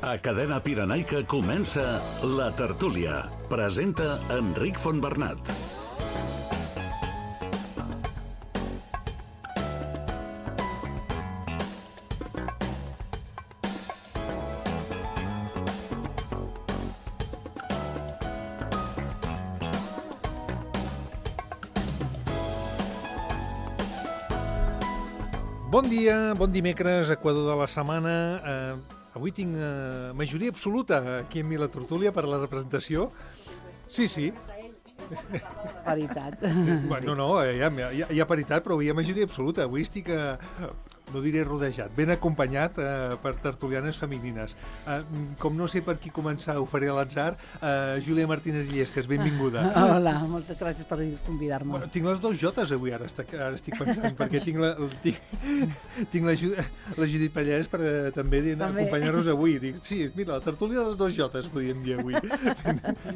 A Cadena Pirenaica comença La Tertúlia. Presenta Enric Fontbernat. Bon dia, bon dimecres, Equador de la setmana. Avui tinc majoria absoluta aquí en La Tertúlia per a la representació. Sí. Paritat. Bueno, no, hi ha paritat, però hi ha majoria absoluta. Avui estic, no diré rodejat, ben acompanyat per tertulianes femenines. Com no sé per qui començar, ho faré a l'atzar. Júlia Martínez Illescas, benvinguda. Hola, moltes gràcies per convidar-me. Bueno, tinc les dues jotes avui, ara estic pensant, perquè tinc la Judit Pallarès per també acompanyar-nos avui. Dic, sí, mira, la tertúlia de les dues jotes, podríem dir avui.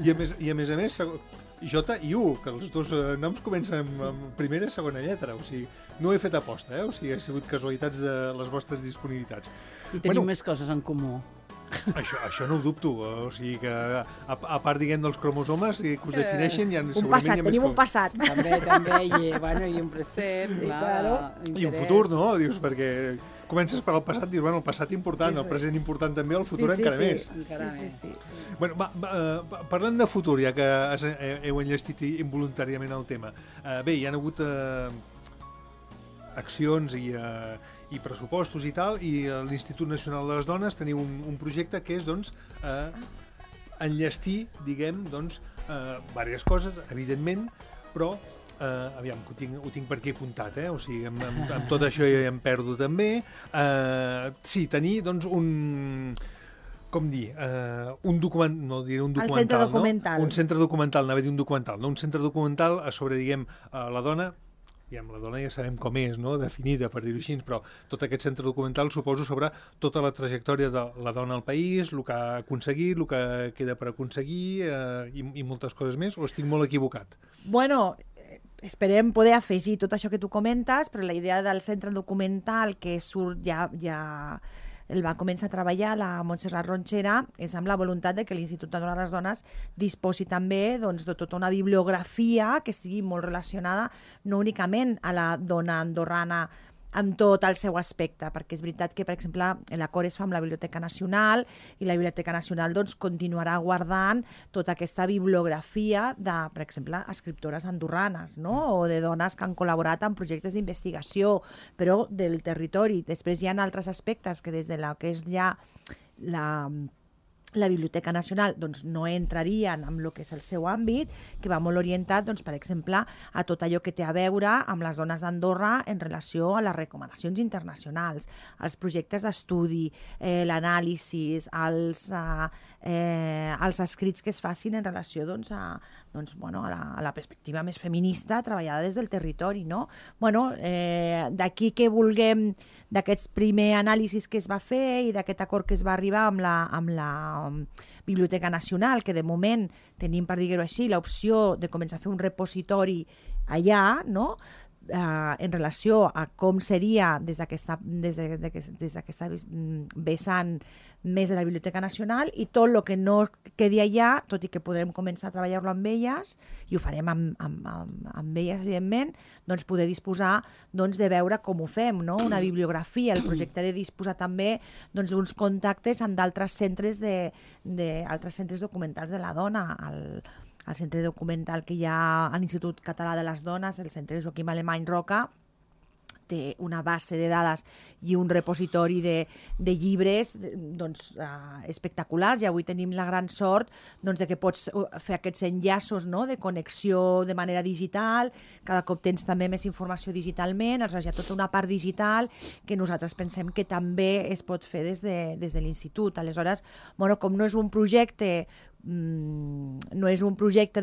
I a més, J i U, que els dos noms comencen amb primera i segona lletra, o sigui, no ho he fet aposta, o sigui, ha sigut casualitats de les vostres disponibilitats. I tenim més coses en comú. Això no ho dubto, o sigui que a part, diguem, dels cromosomes que us defineixen, ja un passat, tenim un passat. També, i un present, clar. I un futur, no? Dius, perquè comences per al passat, dius, bueno, el passat important, el present important també, el futur encara més. Sí. Bueno, parlem de futur, ja que heu enllestit involuntàriament el tema. Bé, hi ha hagut accions i pressupostos i tal, i l'Institut Nacional de les Dones teniu un projecte que és, doncs, enllestir, diguem, doncs, diverses coses, evidentment, però aviam, que ho tinc per aquí apuntat, o sigui, amb tot això ja em perdo també. Sí, tenir, doncs, un documental, no diré un documental, el centre documental. Un centre documental, anava a dir un documental, no? Un centre documental sobre, diguem, la dona, la dona ja sabem com és, no? Definida, per dir-ho així, però tot aquest centre documental suposo sobre tota la trajectòria de la dona al país, el que ha aconseguit, el que queda per aconseguir i moltes coses més, o estic molt equivocat? Bueno, esperem poder afegir tot això que tu comentes, però la idea del centre documental que surt ja el va començar a treballar la Montserrat Ronchera és amb la voluntat de que l'Institut de les Dones disposi també, doncs, de tota una bibliografia que estigui molt relacionada no únicament a la dona andorrana amb tot el seu aspecte, perquè és veritat que, per exemple, l'acord es fa amb la Biblioteca Nacional i la Biblioteca Nacional, doncs, continuarà guardant tota aquesta bibliografia de, per exemple, escriptores andorranes, no? O de dones que han col·laborat en projectes d'investigació, però del territori. Després hi ha altres aspectes que des de la que és ja la Biblioteca Nacional, doncs, no entrarien en el que és el seu àmbit, que va molt orientat, doncs, per exemple, a tot allò que té a veure amb les dones d'Andorra en relació a les recomanacions internacionals, als projectes d'estudi, l'anàlisi, els escrits que es facin en relació, doncs, a la perspectiva més feminista treballada des del territori, no? Bueno, d'aquí que vulguem, d'aquests primer anàlisis que es va fer i d'aquest acord que es va arribar amb la Biblioteca Nacional, que de moment tenim, per dir-ho així, l'opció de començar a fer un repositori allà, no? En relació a com seria des d'aquesta vessant més de la Biblioteca Nacional, i tot el que no quedi allà, tot i que podrem començar a treballar-lo amb elles, i ho farem amb elles, evidentment, doncs poder disposar, doncs, de veure com ho fem, no? Una bibliografia, el projecte de disposar també, doncs, d'uns contactes amb d'altres centres altres centres documentals de la dona, el centre documental que hi ha a l'Institut Català de les Dones, el centre Joaquim Alemany Roca, té una base de dades i un repositori de llibres, doncs, espectaculars, i avui tenim la gran sort, doncs, de que pots fer aquests enllaços, no?, de connexió de manera digital, cada cop tens també més informació digitalment, aleshores hi ha tota una part digital que nosaltres pensem que també es pot fer des de l'Institut. Aleshores, bueno, com no és un projecte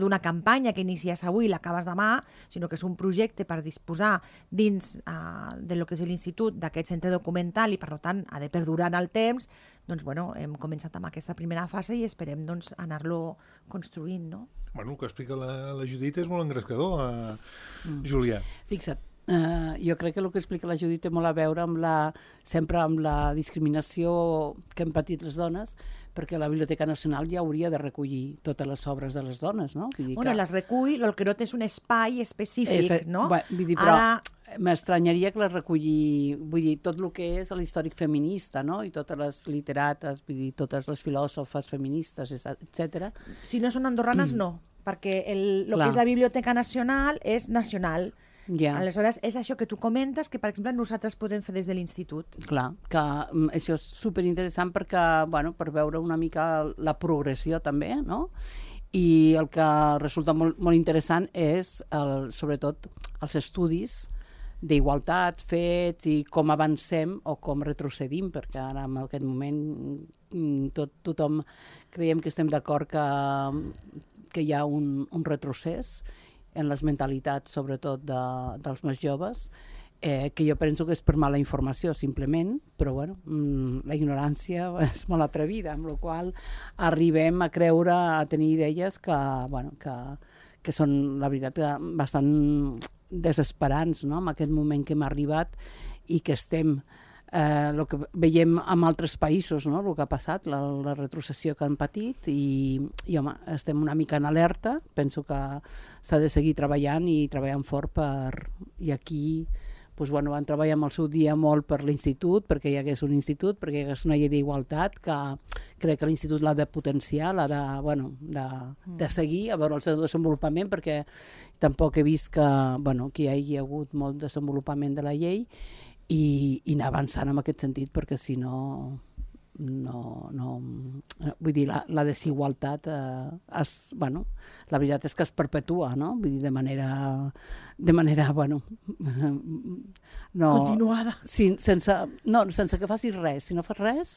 d'una campanya que inicies avui i l'acabes demà, sinó que és un projecte per disposar dins de lo que és l'Institut d'aquest centre documental i, per tant, ha de perdurar en el temps, doncs, bueno, hem començat amb aquesta primera fase i esperem, doncs, anar-lo construint, no? Bueno, el que explica la Judit és molt engrescador, Júlia. Fixa't, jo crec que el que explica la Judit té molt a veure sempre amb la discriminació que hem patit les dones, perquè la Biblioteca Nacional ja hauria de recollir totes les obres de les dones, no? Vull dir Bueno, les recull, el que no té és un espai específic, no? Vull dir, però m'estranyaria que les recollir, vull dir, tot el que és l'històric feminista, no? I totes les literates, vull dir, totes les filòsofes feministes, etc. Si no són andorranes, no, perquè el que és la Biblioteca Nacional és nacional. Aleshores, és això que tu comentes, que, per exemple, nosaltres podem fer des de l'institut. Clar, que això és superinteressant perquè, bueno, per veure una mica la progressió també, no? I el que resulta molt, molt interessant és, sobretot, els estudis d'igualtat fets i com avancem o com retrocedim, perquè ara en aquest moment tothom creiem que estem d'acord que hi ha un retrocés en les mentalitats, sobretot dels més joves, que jo penso que és per mala informació, simplement, però bueno, la ignorància és molt atrevida, amb la qual arribem a creure, a tenir idees que, bueno, que són, la veritat, bastant desesperants, no?, en aquest moment que hem arribat i que estem... el que veiem en altres països, no?, el que ha passat, la retrocessió que han patit i home, estem una mica en alerta, penso que s'ha de seguir treballant i treballant fort i aquí doncs, bueno, van treballar en el seu dia molt per l'institut, perquè hi hagués un institut, perquè hi hagués una llei d'igualtat que crec que l'institut l'ha de potenciar, l'ha de, bueno, de seguir, a veure el seu desenvolupament, perquè tampoc he vist que, bueno, que hi hagi hagut molt desenvolupament de la llei i anar avançant en aquest sentit, perquè si no, vull dir, la desigualtat bueno, la veritat és que es perpetua, no? Vull dir, de manera bueno, continuada. Sense que facis res. Si no fas res,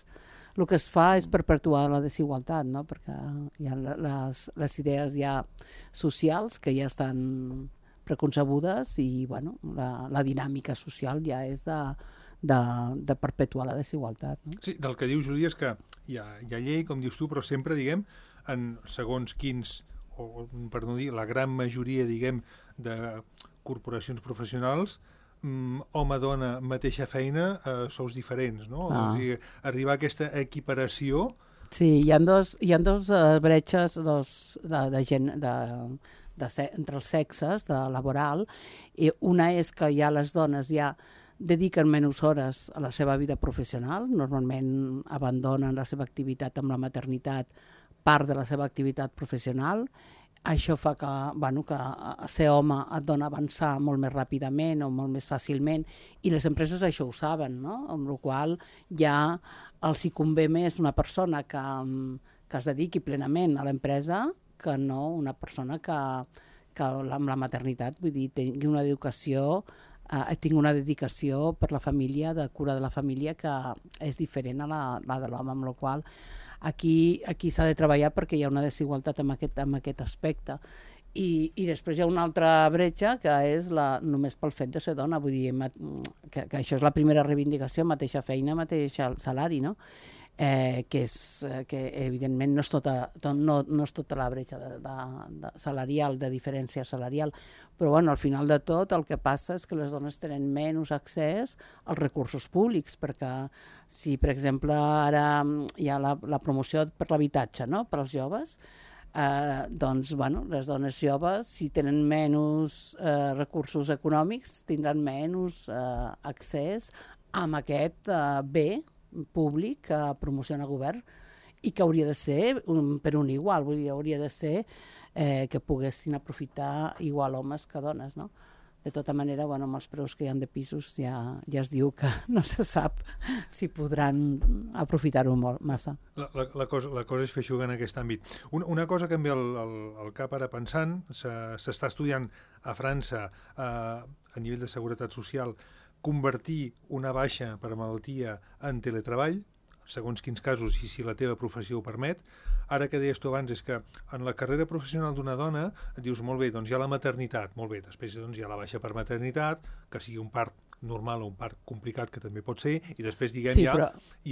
el que es fa és perpetuar la desigualtat, no? Perquè hi ha les idees ja socials que ja estan preconcebudes i, bueno, la dinàmica social ja és de perpetuar la desigualtat. No? Sí, del que diu Júlia és que hi ha llei, com dius tu, però sempre, diguem, en segons quins, o per no dir, la gran majoria, diguem, de corporacions professionals, home-dona, mateixa feina, sous diferents, no? O sigui, arribar a aquesta equiparació... Sí, hi ha dos bretxes de gent, entre els sexes, de laboral. Una és que ja les dones ja dediquen menys hores a la seva vida professional, normalment abandonen la seva activitat amb la maternitat, part de la seva activitat professional. Això fa que, bueno, que ser home et dona avançar molt més ràpidament o molt més fàcilment, i les empreses això ho saben, no? Amb la qual ja els hi convé més una persona que es dediqui plenament a l'empresa que no una persona que amb la maternitat, vull dir, tingui una dedicació per la família, de cura de la família, que és diferent a la de l'home, amb la qual aquí s'ha de treballar perquè hi ha una desigualtat en aquest aspecte. I després hi ha una altra bretxa que és només pel fet de ser dona, vull dir que això és la primera reivindicació, mateixa feina, mateix salari, no? Que evidentment no és tota la bretxa salarial, de diferència salarial, però bueno, al final de tot el que passa és que les dones tenen menys accés als recursos públics, perquè si, per exemple, ara hi ha la promoció per l'habitatge, no?, per als joves, doncs, bueno, les dones joves, si tenen menys recursos econòmics, tindran menys accés a aquest bé públic que promociona el govern i que hauria de ser per un igual, vull dir, hauria de ser que poguessin aprofitar igual homes que dones, no? De tota manera, bueno, amb els preus que hi ha de pisos ja es diu que no se sap si podran aprofitar-ho massa. La cosa és feixuga en aquest àmbit. Una cosa que em ve al cap ara pensant, s'està estudiant a França a nivell de seguretat social convertir una baixa per malaltia en teletreball, segons quins casos i si la teva professió ho permet. Ara que deies tu abans és que en la carrera professional d'una dona et dius, molt bé, doncs hi ha la maternitat, molt bé, després doncs hi ha la baixa per maternitat, que sigui un part normal o un part complicat, que també pot ser, i després, diguem, sí, però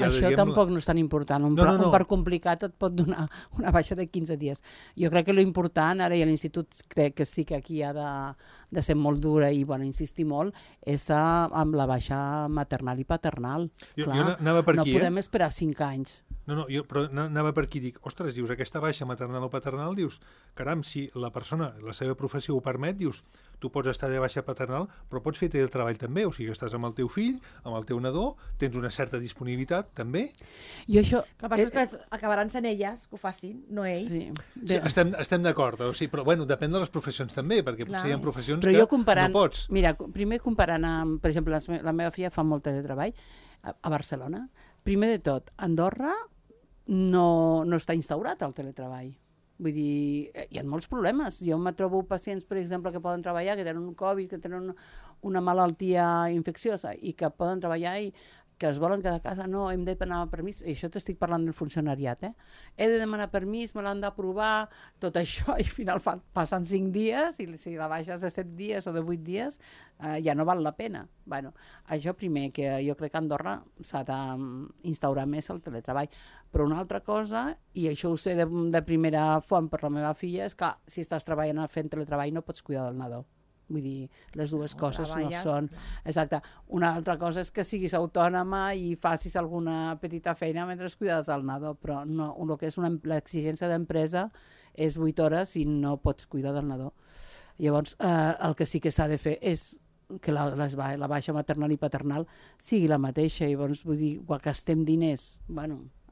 això tampoc no és tan important. Un part complicat et pot donar una baixa de 15 dies. Jo crec que l'important, ara i a l'Institut crec que sí que aquí ha de ser molt dura i insistir molt, és amb la baixa maternal i paternal. Jo anava per aquí, no podem esperar 5 anys. No, però anava per aquí i dic, ostres, dius, aquesta baixa maternal o paternal, dius, caram, si la persona, la seva professió ho permet, dius, tu pots estar de baixa paternal, però pots fer el treball també, o sigui, estàs amb el teu fill, amb el teu nadó, tens una certa disponibilitat, també. I això... El que passa és que acabaran sent elles que ho facin, no ells. Sí, estem d'acord, o sigui, però bueno, depèn de les professions també, perquè potser hi ha professions que no pots. Mira, primer comparant amb, per exemple, la meva filla fa molt teletreball a Barcelona. Primer de tot, Andorra no està instaurat el teletreball. Vull dir, hi ha molts problemes. Jo me trobo pacients, per exemple, que poden treballar, que tenen un Covid, que tenen una malaltia infecciosa i que poden treballar i que es volen quedar a casa, no, hem de demanar permís, i això t'estic parlant del funcionariat, he de demanar permís, me l'han d'aprovar, tot això, i al final passen 5 dies, i si la baixes de 7 dies o de 8 dies, ja no val la pena. Bueno, això primer, que jo crec que a Andorra s'ha d'instaurar més el teletreball. Però una altra cosa, i això ho sé de primera font per la meva filla, és que si estàs treballant fent teletreball no pots cuidar del nadó. Vull dir, les dues coses no són... Exacte. Una altra cosa és que siguis autònoma i facis alguna petita feina mentre cuides del nadó, però no, el que és l'exigència d'empresa és 8 hores i no pots cuidar del nadó. Llavors, el que sí que s'ha de fer és que la baixa maternal i paternal sigui la mateixa. Llavors, vull dir, quan gastem diners,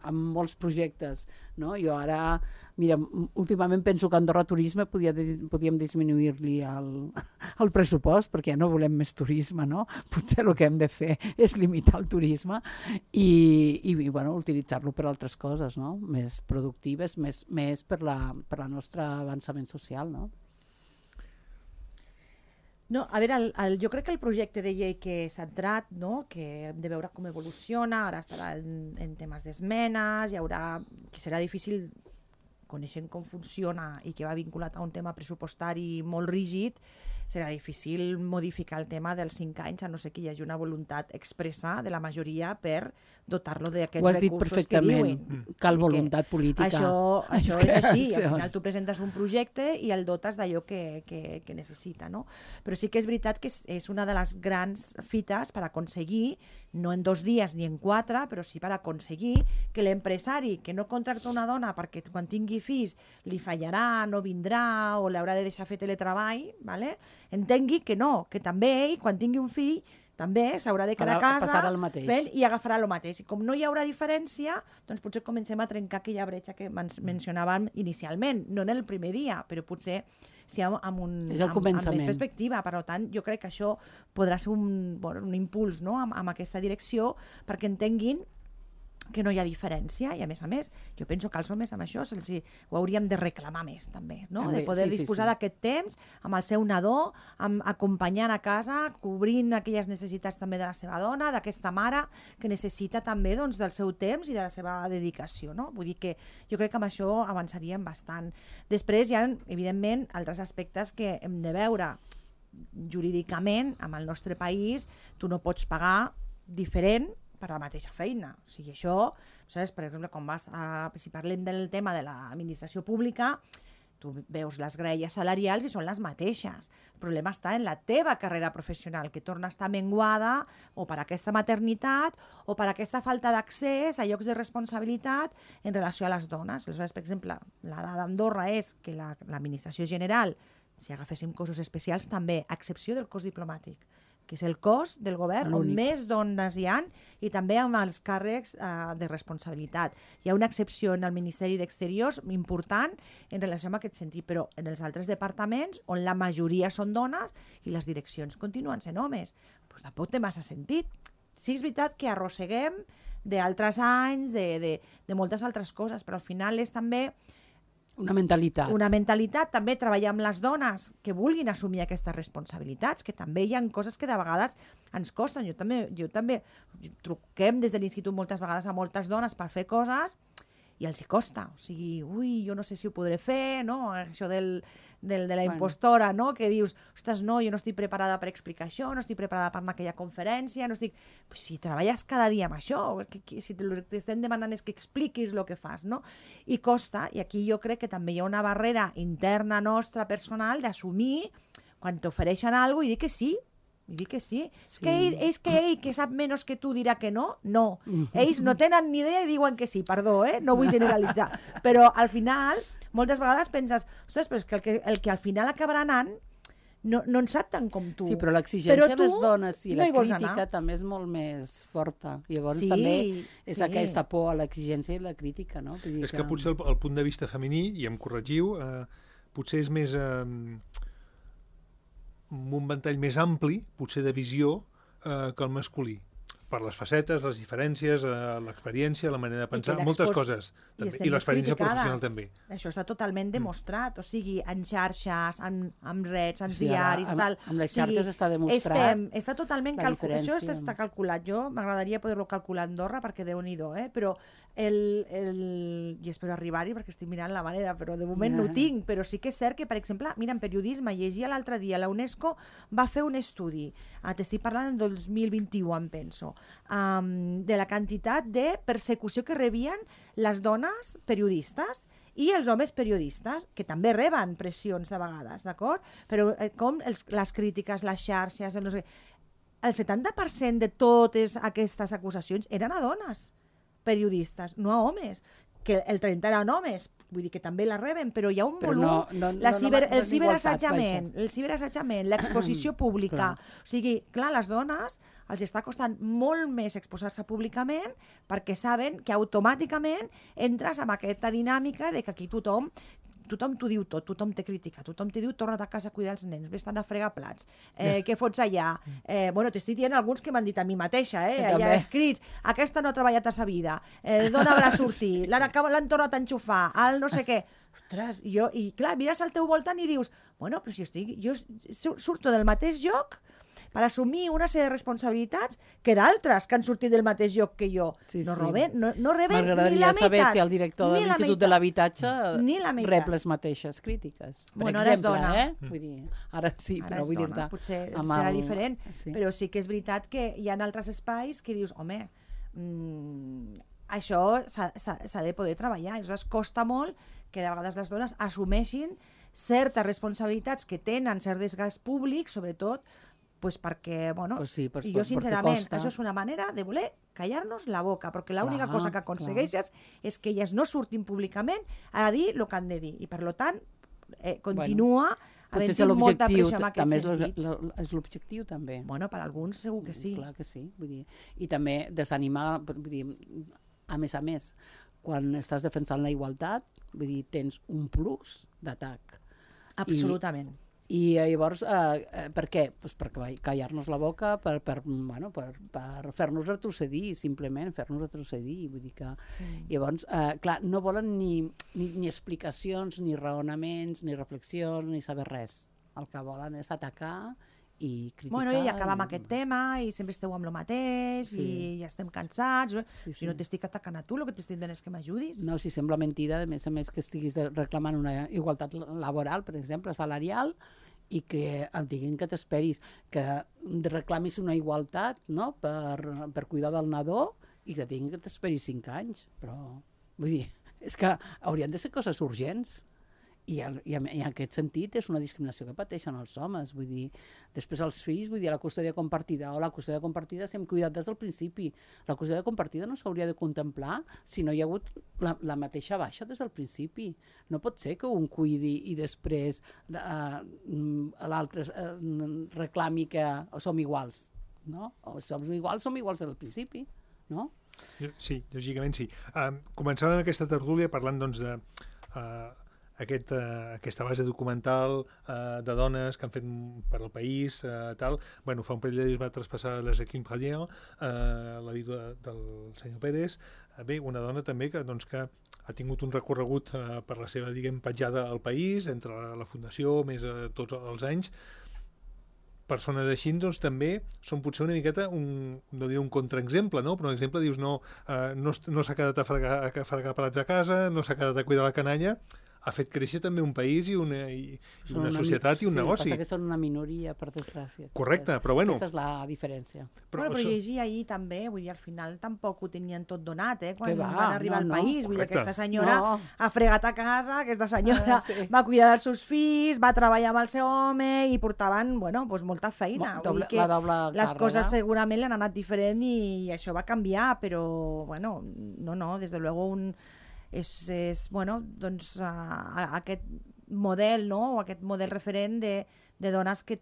amb molts projectes, no? Jo ara, mira, últimament penso que a Andorra Turisme podíem disminuir-li el pressupost, perquè ja no volem més turisme, no? Potser el que hem de fer és limitar el turisme i utilitzar-lo per altres coses, no? Més productives, més per la nostre avançament social, no? No, a veure, jo crec que el projecte de llei que s'ha entrat, no? Que hem de veure com evoluciona, ara estarà en temes d'esmenes, que serà difícil, coneixent com funciona i que va vinculat a un tema pressupostari molt rígid, serà difícil modificar el tema dels 5 anys, a no ser que hi hagi una voluntat expressa de la majoria per dotar-lo d'aquests recursos que diuen. Ho has dit perfectament, cal voluntat política. Això és així, al final tu presentes un projecte i el dotes d'allò que necessita, no? Però sí que és veritat que és una de les grans fites per aconseguir, no en 2 dies ni en 4, però sí per aconseguir que l'empresari que no contracta una dona perquè quan tingui fills li fallarà, no vindrà o l'haurà de deixar fer teletreball, ¿vale? Entengui que no, que també ell, quan tingui un fill, també s'haurà de quedar a casa i agafarà el mateix. I com no hi haurà diferència, doncs potser comencem a trencar aquella bretxa que mencionàvem inicialment, no en el primer dia, però potser sí amb més perspectiva. Per tant, jo crec que això podrà ser un impuls, no? amb aquesta direcció, perquè entenguin que no hi ha diferència, i a més, jo penso que als homes amb això ho hauríem de reclamar més també, no? De poder disposar d'aquest temps amb el seu nadó, acompanyant a casa, cobrint aquelles necessitats també de la seva dona, d'aquesta mare que necessita també del seu temps i de la seva dedicació, no? Vull dir que jo crec que amb això avançaríem bastant. Després hi ha, evidentment, altres aspectes que hem de veure jurídicament. En el nostre país tu no pots pagar diferent per la mateixa feina. O sigui, això, saps? Per exemple, si parlem del tema de l'administració pública, tu veus les graelles salarials i són les mateixes. El problema està en la teva carrera professional, que torna a estar menguada o per aquesta maternitat o per aquesta falta d'accés a llocs de responsabilitat en relació a les dones. Aleshores, per exemple, la dada d'Andorra és que l'administració general, si agaféssim cossos especials, també, a excepció del cos diplomàtic, que és el cos del govern on més dones hi ha, i també amb els càrrecs de responsabilitat. Hi ha una excepció en el Ministeri d'Exteriors important en relació amb aquest sentit, però en els altres departaments, on la majoria són dones i les direccions continuen sent homes, doncs tampoc té massa sentit. Sí, és veritat que arrosseguem d'altres anys, de moltes altres coses, però al final és també una mentalitat, també treballar amb les dones que vulguin assumir aquestes responsabilitats, que també hi ha coses que de vegades ens costen. Jo també truquem des de l'institut moltes vegades a moltes dones per fer coses i els hi costa. O sigui, ui, jo no sé si ho podré fer, no? Això de la impostora, no? Que dius, ostres, no, jo no estic preparada per explicar això, no estic preparada per anar a aquella conferència, no estic... Pues si treballes cada dia amb això, si el que t'estem demanant és que expliquis el que fas, no? I costa, i aquí jo crec que també hi ha una barrera interna nostra, personal, d'assumir quan t'ofereixen alguna cosa i dir que sí. I dic que sí. És que ell, que sap menys que tu, dirà que no? No. Ells no tenen ni idea i diuen que sí, perdó, no vull generalitzar. Però al final, moltes vegades penses, ostres, però és que el que al final acabarà anant no en sap tant com tu. Sí, però l'exigència a les dones i la crítica també és molt més forta. Llavors també és aquesta por a l'exigència i la crítica, no? És que potser el punt de vista femení, i em corregiu, potser és més... un ventall més ampli, potser de visió, que el masculí. Per les facetes, les diferències, l'experiència, la manera de pensar, moltes coses. I l'experiència professional també. Això està totalment demostrat. O sigui, en xarxes, en reds, en diaris, tal. Amb les xarxes està demostrat. Està totalment calculat. Això està calculat. Jo m'agradaria poder-ho calcular a Andorra, perquè Déu-n'hi-do, però i espero arribar-hi perquè estic mirant la manera, però de moment no ho tinc, però sí que és cert que, per exemple, mira, en periodisme, llegia l'altre dia, la UNESCO va fer un estudi, t'estic parlant del 2021, em penso, de la quantitat de persecució que rebien les dones periodistes i els homes periodistes, que també reben pressions de vegades, d'acord? Però com les crítiques, les xarxes, el 70% de totes aquestes acusacions eren a dones periodistes, no a homes, que el 30 eren homes, vull dir que també la reben, però hi ha un volum, el ciberassetjament, l'exposició pública, o sigui, clar, les dones els està costant molt més exposar-se públicament perquè saben que automàticament entres en aquesta dinàmica de que aquí tothom t'ho diu tot, tothom te critica, tothom te diu torna't a casa a cuidar els nens, vés-te'n a fregar plats, què fots allà? Bueno, t'estic dient alguns que m'han dit a mi mateixa, allà escrits, aquesta no ha treballat a sa vida, d'on haurà sortit, l'han tornat a enxufar, el no sé què. Ostres, i clar, mires al teu voltant i dius, bueno, però si jo surto del mateix lloc per assumir una sèrie de responsabilitats que d'altres que han sortit del mateix lloc que jo. No reben ni la meitat. M'agradaria saber si el director de l'Institut de l'Habitatge rep les mateixes crítiques. Per exemple, Vull dir, ara sí, però vull dir-te... Potser serà diferent, però sí que és veritat que hi ha altres espais que dius, home, això s'ha de poder treballar. Aleshores, costa molt que de vegades les dones assumeixin certes responsabilitats que tenen cert desgast públic, sobretot perquè, bueno, i jo sincerament, això és una manera de voler callar-nos la boca, perquè l'única cosa que aconsegueixes és que elles no surtin públicament a dir el que han de dir, i per tant continua havent-hi molta pressió en aquest sentit. És l'objectiu també. Bueno, per alguns segur que sí. Clar que sí, vull dir, i també desanimar, vull dir, a més, quan estàs defensant la igualtat, vull dir, tens un plus d'atac. Absolutament. I llavors, per què? Pues per callar-nos la boca, per fer-nos retrocedir, simplement fer-nos retrocedir. Vull dir que llavors, clar, no volen ni explicacions, ni raonaments, ni reflexions, ni saber res. El que volen és atacar i criticar. Bueno, i acabar amb aquest tema, i sempre esteu amb el mateix, i ja estem cansats. Si no t'estic atacant a tu, el que t'estic dient és que m'ajudis. No, si sembla mentida, a més que estiguis reclamant una igualtat laboral, per exemple, salarial, i que et diguin que t'esperis, que reclamis una igualtat, no?, per cuidar del nadó, i que et diguin que t'esperis 5 anys. Però, vull dir, és que haurien de ser coses urgents. I en aquest sentit és una discriminació que pateixen els homes, vull dir, després els fills, vull dir, la custòdia compartida o la custòdia compartida s'hem cuidat des del principi. La custòdia compartida no s'hauria de contemplar si no hi ha hagut la mateixa baixa des del principi. No pot ser que un cuidi i després l'altre reclami que som iguals, no? O som iguals des del principi, no? Sí, lògicament sí. Començàvem aquesta tertúlia parlant, doncs, de aquesta base documental de dones que han fet per al país, tal. Bueno, fa un parell de dies va traspassar la Jacqueline Pradier, la vídua del senyor Pérez. Bé, una dona també que ha tingut un recorregut per la seva, diguem, petjada al país, entre la Fundació, més tots els anys, persones així doncs, també són potser una miqueta, no diré un contraexemple, no? Però un exemple, dius, no s'ha quedat a fregar plats a casa, no s'ha quedat a cuidar la canalla, ha fet créixer també un país i una societat i un negoci. Passa que són una minoria, per desgràcia. Correcte, però bueno... Aquesta és la diferència. Però llegia ahir també, vull dir, al final tampoc ho tenien tot donat, quan van arribar al país. Vull dir, aquesta senyora ha fregat a casa, aquesta senyora va cuidar dels seus fills, va treballar amb el seu home i portaven, molta feina. Les coses segurament li han anat diferent i això va canviar, però, no, des de luego és aquest model, no? O aquest model referent de dones que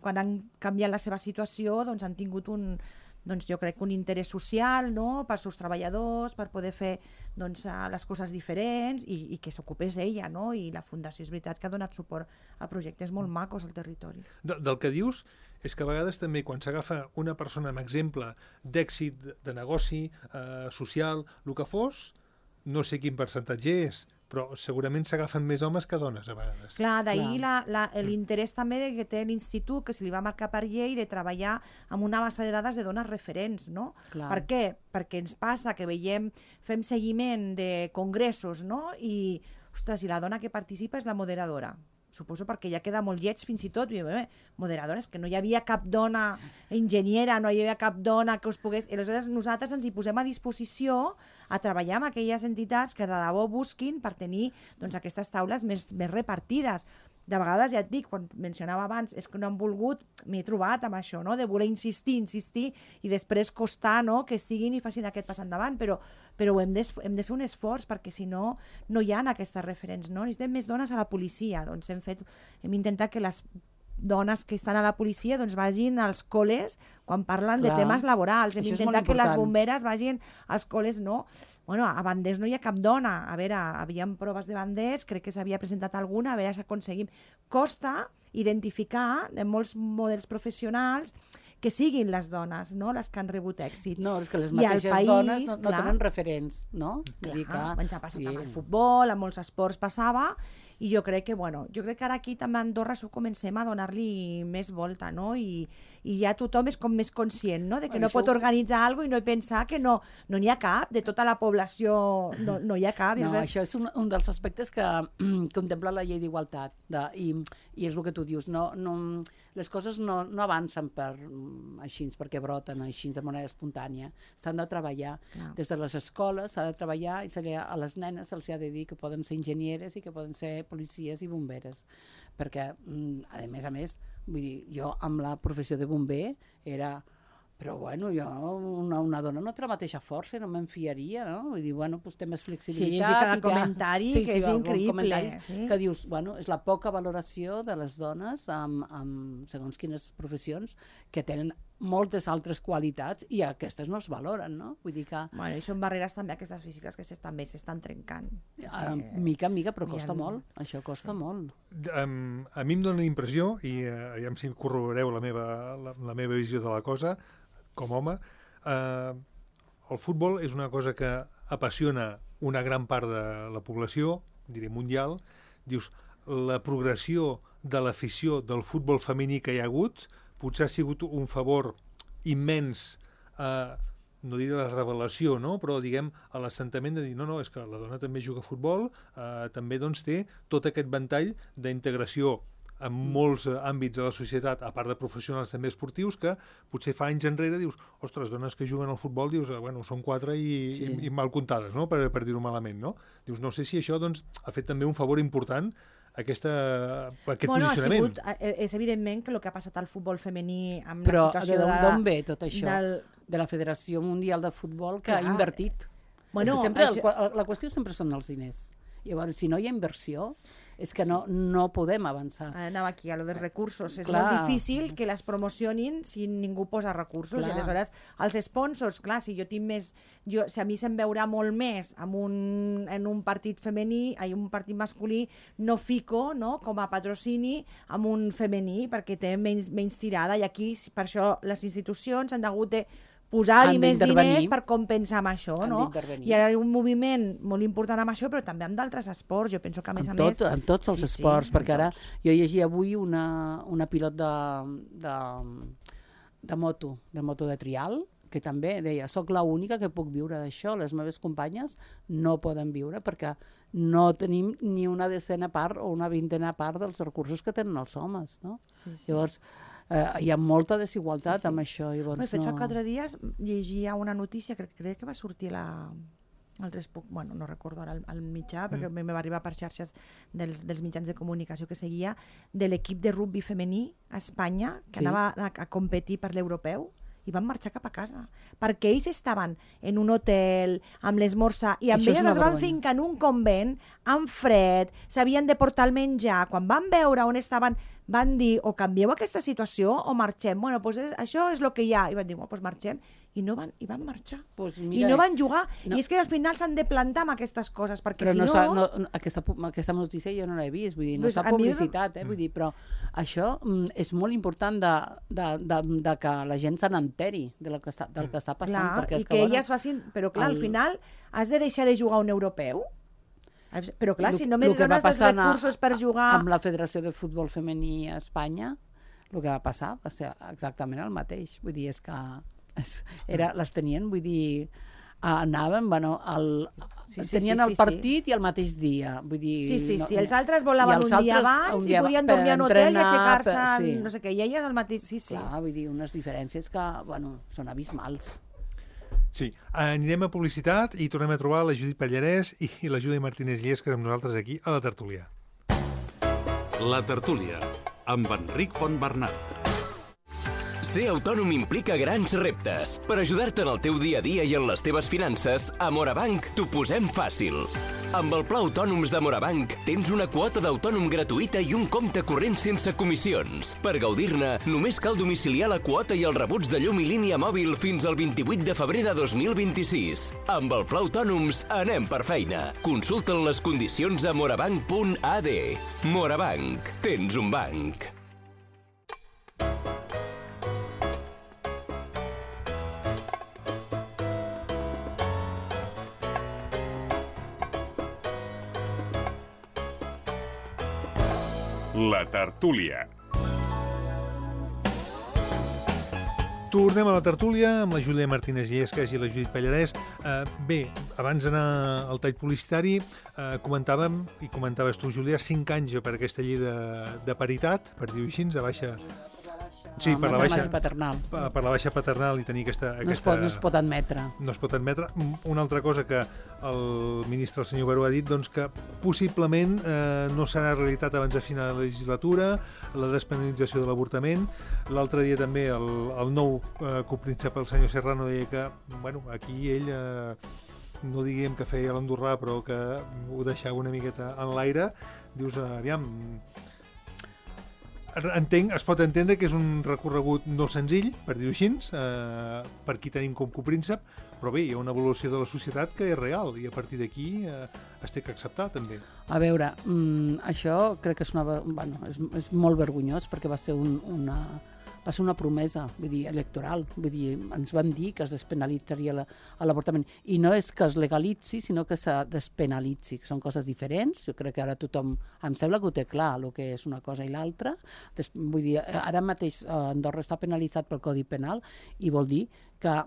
quan han canviat la seva situació, han tingut jo crec que un interès social, no? Pels seus treballadors, per poder fer les coses diferents i que s'ocupés ella, no? I la Fundació és veritat que ha donat suport a projectes molt macos al territori. Del que dius és que a vegades també quan s'agafa una persona amb exemple d'èxit, de negoci, social, el que fos, no sé quin percentatge és, però segurament s'agafen més homes que dones a vegades. Clar, d'ahir l'interès també que té l'Institut, que se li va marcar per llei, de treballar amb una base de dades de dones referents, no? Clar. Per què? Perquè ens passa que fem seguiment de congressos, no? I, ostres, i la dona que participa és la moderadora. Suposo perquè ja queda molt lleig fins i tot, moderadora, és que no hi havia cap dona enginyera, no hi havia cap dona que us pogués... I aleshores nosaltres ens hi posem a disposició a treballar amb aquelles entitats que de debò busquin per tenir aquestes taules més repartides. De vegades, ja et dic, quan mencionava abans, és que no han volgut, m'he trobat amb això, no? De voler insistir i després costar, no? Que estiguin i facin aquest pas endavant, però hem de fer un esforç perquè si no, no hi ha aquestes referents, no? Necessitem més dones a la policia, doncs hem intentat que les dones que estan a la policia vagin als col·les quan parlen de temes laborals. Hem intentat que les bomberes vagin als col·les, no? A banders no hi ha cap dona. A veure, havíem proves de banders, crec que s'havia presentat alguna, a veure si aconseguim. Costa identificar en molts models professionals que siguin les dones, no?, les que han rebut èxit. No, és que les mateixes dones no tenen referents, no? Ens ha passat amb el futbol, amb molts esports passava, i jo crec que ara aquí també a Andorra comencem a donar-li més volta, no? I ja tothom és com més conscient, no?, de que no pot organitzar alguna cosa i no pensar que no n'hi ha cap, de tota la població no hi ha cap. No, això és un dels aspectes que contempla la llei d'igualtat, i és el que tu dius, les coses no avancen perquè broten així de manera espontània. S'han de treballar des de les escoles, s'ha de treballar i a les nenes se'ls ha de dir que poden ser enginyeres i que poden ser policies i bomberes, perquè a més, vull dir, jo amb la professió de bomber era... Però, jo, una dona no té la mateixa força, no me'n fiaria, no? Vull dir, doncs té més flexibilitat. Sí, cada comentari que és increïble. Que dius, és la poca valoració de les dones amb segons quines professions que tenen moltes altres qualitats i aquestes no es valoren, no? Vull dir que... I són barreres també aquestes físiques que també s'estan trencant. Mica en mica, però costa molt. Això costa molt. A mi em dóna la impressió, i aviam si corroboreu la meva visió de la cosa, com a home, el futbol és una cosa que apassiona una gran part de la població, diré mundial. Dius, la progressió de l'afició del futbol femení que hi ha hagut potser ha sigut un favor immens, no diré la revelació, no? Però diguem a l'assentament de dir no, és que la dona també juga a futbol, també té tot aquest ventall d'integració en molts àmbits de la societat, a part de professionals també esportius, que potser fa anys enrere dius, ostres, dones que juguen al futbol, dius, són 4 i mal comptades, no?, per dir-ho malament, no? Dius, no sé si això ha fet també un favor important aquest posicionament. És evidentment que el que ha passat al futbol femení amb la situació d'on ve tot això? De la Federació Mundial de Futbol, que ha invertit. La qüestió sempre són els diners. Llavors, si no hi ha inversió, és que no podem avançar. Anava aquí, a lo dels recursos. És molt difícil que les promocionin si ningú posa recursos. I aleshores, els sponsors, clar, si jo tinc més... Si a mi se'm veurà molt més en un partit femení, un partit masculí, no fico, no?, com a patrocini amb un femení, perquè té menys tirada. I aquí, per això, les institucions han hagut de posar-hi més diners per compensar amb això, no? I ara hi ha un moviment molt important amb això, però també amb d'altres esports. Jo penso que a més... Amb tots els esports, perquè ara jo llegia avui una pilot de moto de trial, que també deia, soc l'única que puc viure d'això, les meves companyes no poden viure perquè no tenim ni una decena part o una vintena part dels recursos que tenen els homes, no? Llavors, hi ha molta desigualtat amb això. De fet, fa 4 dies llegia una notícia, crec que va sortir no recordo ara el mitjà, perquè me va arribar per xarxes dels mitjans de comunicació que seguia, de l'equip de rugby femení a Espanya, que anava a competir per l'europeu, i van marxar cap a casa, perquè ells estaven en un hotel, amb l'esmorzar, i amb elles es van fincar en un convent, amb fred, s'havien de portar el menjar. Quan van veure on estaven, van dir, o canvieu aquesta situació o marxem. Bueno, doncs això és el que hi ha. I van dir, doncs marxem. I van marxar. I no van jugar. I és que al final s'han de plantar amb aquestes coses, perquè si no... Aquesta notícia jo no l'he vist, vull dir, no s'ha publicitat, vull dir, però això és molt important de que la gent se n'enteri del que està passant. Clar, i que elles facin... Però clar, al final has de deixar de jugar un europeu. Però clar, si no me dones els recursos per jugar... Amb la Federació de Futbol Femení a Espanya, el que va passar va ser exactament el mateix. Vull dir, és que les tenien, vull dir, anaven, tenien el partit i el mateix dia. Vull dir, sí, els altres volaven un dia abans i podien dormir a un hotel i aixecar-se, no sé què, i elles el mateix, sí. Clar, vull dir, unes diferències que, són abismals. Sí, anirem a publicitat i tornem a trobar la Judit Pallarès i la Júlia Martínez Llesques amb nosaltres aquí a la tertúlia. La tertúlia, amb Enric Fontbernat. Ser autònom implica grans reptes. Per ajudar-te en el teu dia a dia i en les teves finances, a Morabanc t'ho posem fàcil. Amb el Pla Autònoms de Morabanc tens una quota d'autònom gratuïta i un compte corrent sense comissions. Per gaudir-ne, només cal domiciliar la quota i els rebuts de llum i línia mòbil fins al 28 de febrer de 2026. Amb el Pla Autònoms anem per feina. Consulta les condicions a morabanc.ad. Morabanc. Tens un banc. La tertúlia. Tornem a la tertúlia amb la Júlia Martínez Llesques i la Judit Pallarès. Bé, abans d'anar al tall publicitari, comentàvem, i comentaves tu, Júlia, 5 anys per aquesta llei de paritat, per dir-ho així, de baixa... Sí, per la baixa paternal. Per la baixa paternal i tenir aquesta... No es pot admetre. No es pot admetre. Una altra cosa que el ministre, el senyor Baró, ha dit, doncs que possiblement no serà realitat abans de final de la legislatura, la despenalització de l'avortament. L'altre dia també el nou copríncep, el senyor Serrano, deia que, aquí ell... no diguem que feia l'andorrà, però que ho deixava una miqueta en l'aire. Dius, aviam... Es pot entendre que és un recorregut no senzill, per dir-ho així, per qui tenim com copríncep, però bé, hi ha una evolució de la societat que és real i a partir d'aquí es té que acceptar també. A veure, això crec que és molt vergonyós perquè va ser una promesa, vull dir, electoral. Vull dir, ens van dir que es despenalitzaria l'avortament. I no és que es legalitzi, sinó que se despenalitzi, que són coses diferents. Jo crec que ara tothom, em sembla que ho té clar, el que és una cosa i l'altra. Vull dir, ara mateix Andorra està penalitzat pel Codi Penal i vol dir que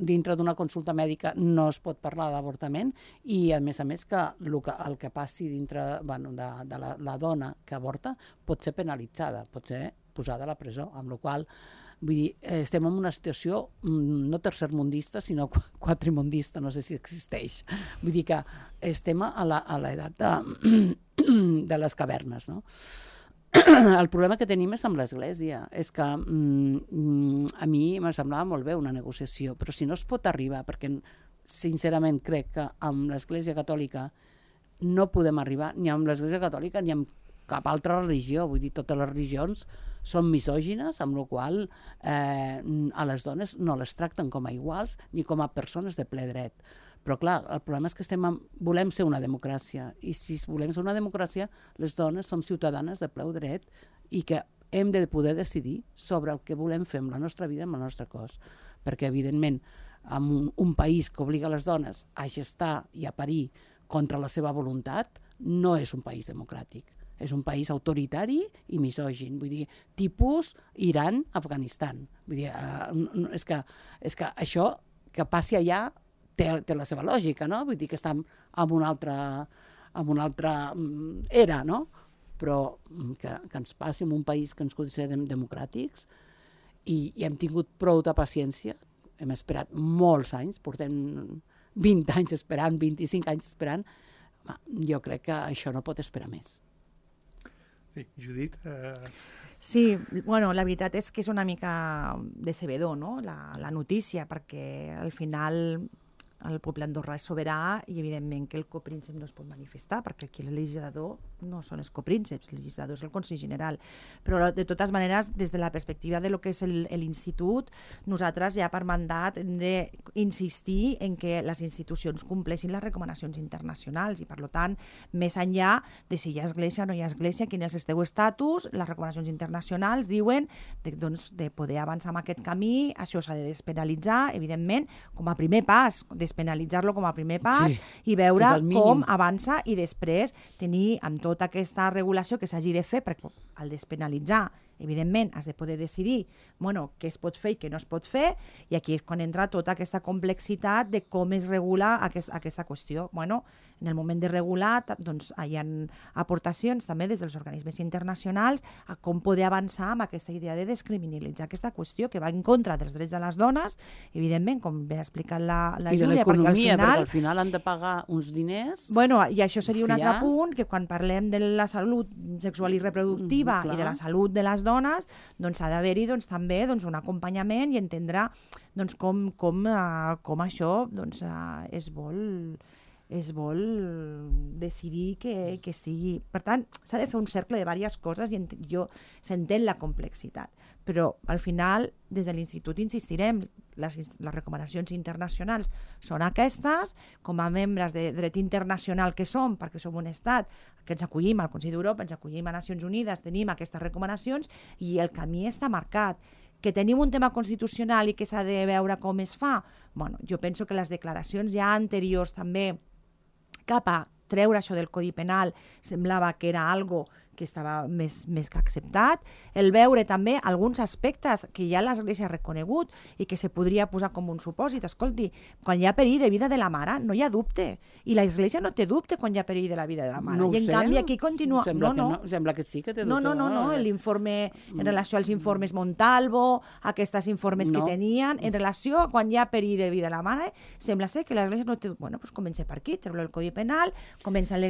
dintre d'una consulta mèdica no es pot parlar d'avortament i, a més que el que passi dintre de la dona que avorta pot ser penalitzada, pot ser posada a la presó, amb la qual vull dir, estem en una situació no tercermundista, sinó quatrimundista, no sé si existeix. Vull dir que estem a l'edat de les cavernes, no? El problema que tenim és amb l'Església, és que a mi me semblava molt bé una negociació, però si no es pot arribar, perquè sincerament crec que amb l'Església Catòlica no podem arribar ni amb l'Església Catòlica ni amb cap altra religió, vull dir, totes les religions són misògines, amb la qual a les dones no les tracten com a iguals ni com a persones de ple dret. Però clar, el problema és que volem ser una democràcia i si volem ser una democràcia, les dones som ciutadanes de ple dret i que hem de poder decidir sobre el que volem fer amb la nostra vida, amb el nostre cos. perquè evidentment en un país que obliga les dones a gestar i a parir contra la seva voluntat no és un país democràtic. És un país autoritari i misògin, vull dir, tipus Iran, Afganistan. Vull dir, és que això que passi allà té la seva lògica, no? Vull dir que estem en una altra era, no? Però que ens passi en un país que ens considerem democràtics i hem tingut prou de paciència, hem esperat molts anys, portem 20 anys esperant, 25 anys esperant, jo crec que això no pot esperar més. Sí, Judit... Sí, bueno, la veritat és que és una mica decebedor, no?, la notícia, perquè al final el poble andorrà és sobirà i evidentment que el copríncep no es pot manifestar, perquè aquí el legislador no són els coprínceps, el legislador és el Consell General. Però de totes maneres, des de la perspectiva de lo que és l'institut, nosaltres ja per mandat hem d'insistir en que les institucions compleixin les recomanacions internacionals i per tant, més enllà de si hi ha església o no hi ha església, quin és el seu estatus, les recomanacions internacionals diuen de poder avançar en aquest camí, això s'ha de despenalitzar, evidentment, com a primer pas, despenalitzar-lo com a primer pas, sí, i veure com avança i després tenir amb tota aquesta regulació que s'hagi de fer, perquè al despenalitzar, evidentment, has de poder decidir què es pot fer i què no es pot fer, i aquí és quan entra tota aquesta complexitat de com es regula aquesta qüestió. En el moment de regular, doncs, hi ha aportacions també des dels organismes internacionals a com poder avançar amb aquesta idea de descriminalitzar aquesta qüestió que va en contra dels drets de les dones, evidentment, com bé ha explicat la Júlia. I de l'economia, perquè al final han de pagar uns diners... I això seria un altre punt, que quan parlem de la salut sexual i reproductiva i de la salut de les dones, doncs ha d'haver-hi també un acompanyament i entendre com això es vol decidir que estigui... Per tant, s'ha de fer un cercle de diverses coses i s'entén la complexitat. Però, al final, des de l'Institut insistirem, les recomanacions internacionals són aquestes, com a membres de dret internacional que som, perquè som un estat que ens acollim al Consell d'Europa, ens acollim a Nacions Unides, tenim aquestes recomanacions i el camí està marcat. Que tenim un tema constitucional i que s'ha de veure com es fa? Jo penso que les declaracions ja anteriors també cap a treure això del Codi Penal semblava que era algo que estava més que acceptat, el veure també alguns aspectes que ja l'Església ha reconegut i que se podria posar com un supòsit. Escolti, quan hi ha perill de vida de la mare, no hi ha dubte. I l'Església no té dubte quan hi ha perill de la vida de la mare. No ho sé. I en canvi aquí continua... Sembla que sí que té dubte. No. L'informe, en relació als informes Montalvo, aquests informes que tenien, en relació a quan hi ha perill de vida de la mare, sembla ser que l'Església no té dubte. Doncs comença per aquí, treure el Codi Penal, comença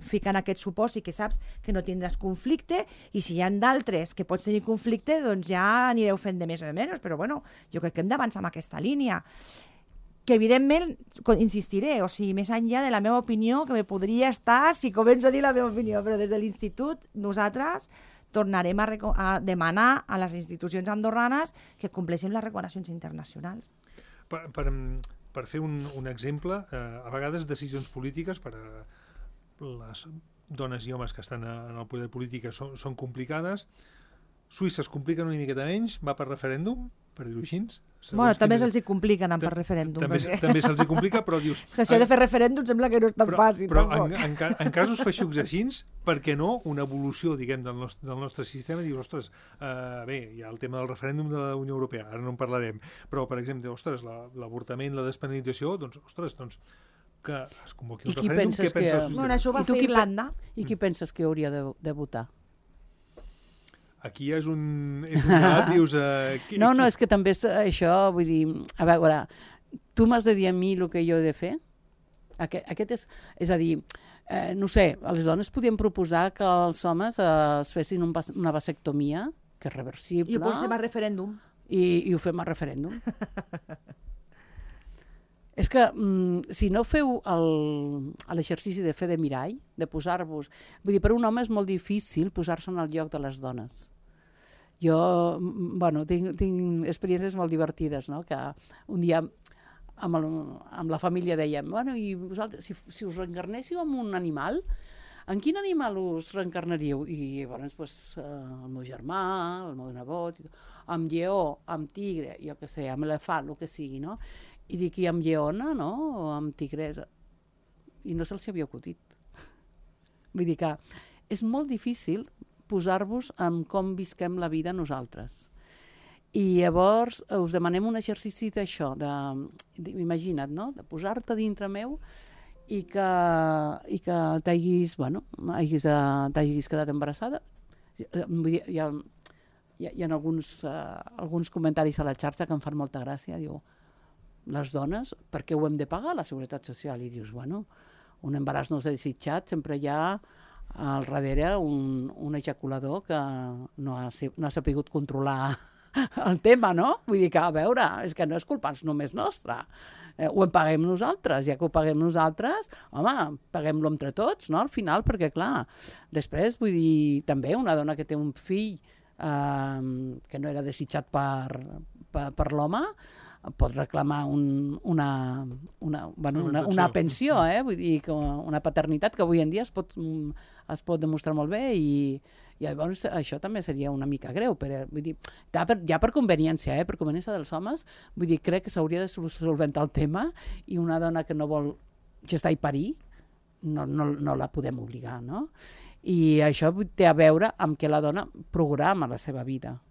ficant aquest supòsit que saps que no tindràs conflicte, i si hi ha d'altres que pots tenir conflicte, doncs ja anireu fent de més o de menys, però jo crec que hem d'avançar en aquesta línia. Que evidentment, insistiré, més enllà de la meva opinió, que me podria estar si començo a dir la meva opinió, però des de l'Institut nosaltres tornarem a demanar a les institucions andorranes que compleixin les recomanacions internacionals. Per fer un exemple, a vegades decisions polítiques per a les dones i homes que estan en el poder polític són complicades. Suïssa es compliquen una miqueta menys, va per referèndum, per dir-ho així. També se'ls hi compliquen per referèndum. També se'ls hi complica, però dius... Si això de fer referèndum sembla que no és tan fàcil. Però en casos feixucs així, per què no una evolució, diguem, del nostre sistema? Dius, ostres, bé, hi ha el tema del referèndum de la Unió Europea, ara no en parlarem, però, per exemple, ostres, l'avortament, la despenalització, doncs, ostres, que es convoqui un referèndum, què penses? Això ho va fer Irlanda. I qui penses que hauria de votar? Aquí és un debat, dius... No, és que també és això, vull dir... A veure, tu m'has de dir a mi el que jo he de fer? Aquest és a dir, no sé, les dones podien proposar que els homes es fessin una vasectomia, que és reversible... I ho posem a referèndum. I ho fem a referèndum. És que si no feu l'exercici de fer de mirall, de posar-vos... Vull dir, per un home és molt difícil posar-se en el lloc de les dones. Jo, tinc experiències molt divertides, no? Que un dia amb la família dèiem, i vosaltres, si us reencarnéssiu en un animal, en quin animal us reencarnaríeu? I llavors, pues, el meu germà, el meu nebot, amb lleó, amb tigre, jo què sé, amb elefant, el que sigui, no? I dic, i amb lleona, no? O amb tigresa. I no se'ls havia acutit. Vull dir que és molt difícil posar-vos en com visquem la vida nosaltres. I llavors us demanem un exercici d'això, imagina't, no? De posar-te dintre meu i que t'hagis quedat embarassada. Vull dir, hi ha alguns comentaris a la xarxa que em fan molta gràcia. Diu, les dones, per què ho hem de pagar, la Seguretat Social? I dius, bueno, un embaràs no desitjat, sempre hi ha al darrere un ejaculador que no ha sapigut controlar el tema, no? Vull dir que, a veure, és que no és culpa només nostra. Ho paguem nosaltres, ja que ho paguem nosaltres, home, paguem-lo entre tots, no? Al final, perquè, clar, després, vull dir, també una dona que té un fill que no era desitjat per l'home, pot reclamar una pensió, vull dir, una paternitat que avui en dia es pot demostrar molt bé i llavors això també seria una mica greu, però vull dir, ja per conveniència, per conveniència dels homes, vull dir, crec que s'hauria de solventar el tema i una dona que no vol gestar i parir no la podem obligar, no? I això té a veure amb que la dona programa la seva vida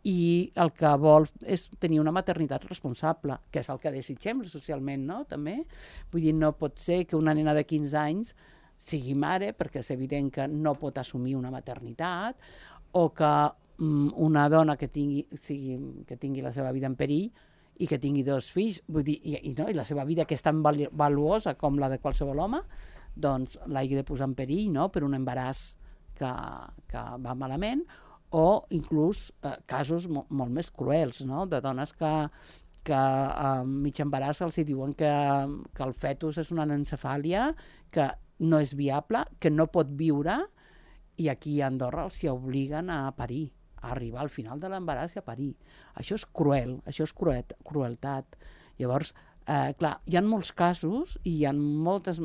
i el que vol és tenir una maternitat responsable, que és el que desitgem socialment, no? També. Vull dir, no pot ser que una nena de 15 anys sigui mare, perquè és evident que no pot assumir una maternitat, o que una dona que tingui la seva vida en perill i que tingui 2 fills, vull dir, i la seva vida, que és tan valuosa com la de qualsevol home, doncs l'hagi de posar en perill, no? Per un embaràs que va malament, o inclús casos molt més cruels, no? De dones que a mig embaràs els diuen que el fetus és una anencefàlia, que no és viable, que no pot viure, i aquí a Andorra els hi obliguen a parir, a arribar al final de l'embaràs i a parir. Això és cruel, això és crueltat. Llavors, clar, hi ha molts casos i hi ha moltes...